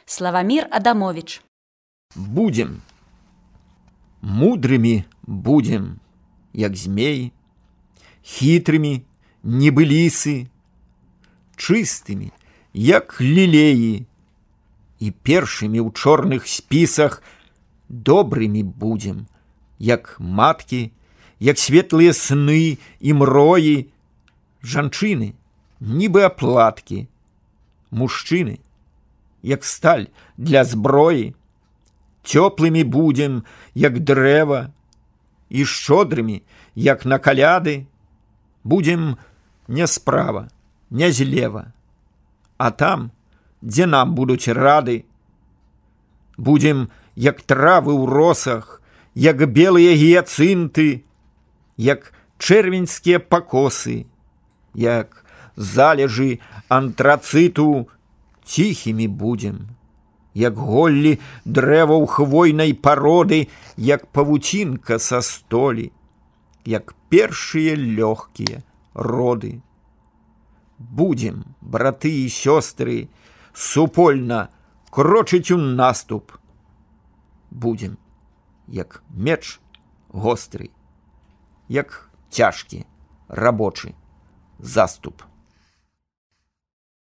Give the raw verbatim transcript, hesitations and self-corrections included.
Славамир Адамович. Будем. Мудрыми будем, як змеи, хитрыми, небылисы, чистыми, як лилеи, и першими у чорных списах добрыми будем, як матки, як светлые сны и мрои, жанчыны, нібы аплатки, мужчыны, як сталь для зброі, цёплымі будем, як дрэва, і шчодрымі, як на каляды, будем не справа, не злева, а там, дзе нам будуць рады. Будем, як травы ў росах, як белыя гіяцынты, як чэрвеньскія пакосы, як залежы антрацыту, ціхімі будем, як голлі дрэваў хвойнай пароды, як павуцінка са столі, як першыя лёгкія роды. Будем, браты і сёстры, супольна крочыць у наступ. Будем, як меч гостры, як цяжкі рабочы заступ.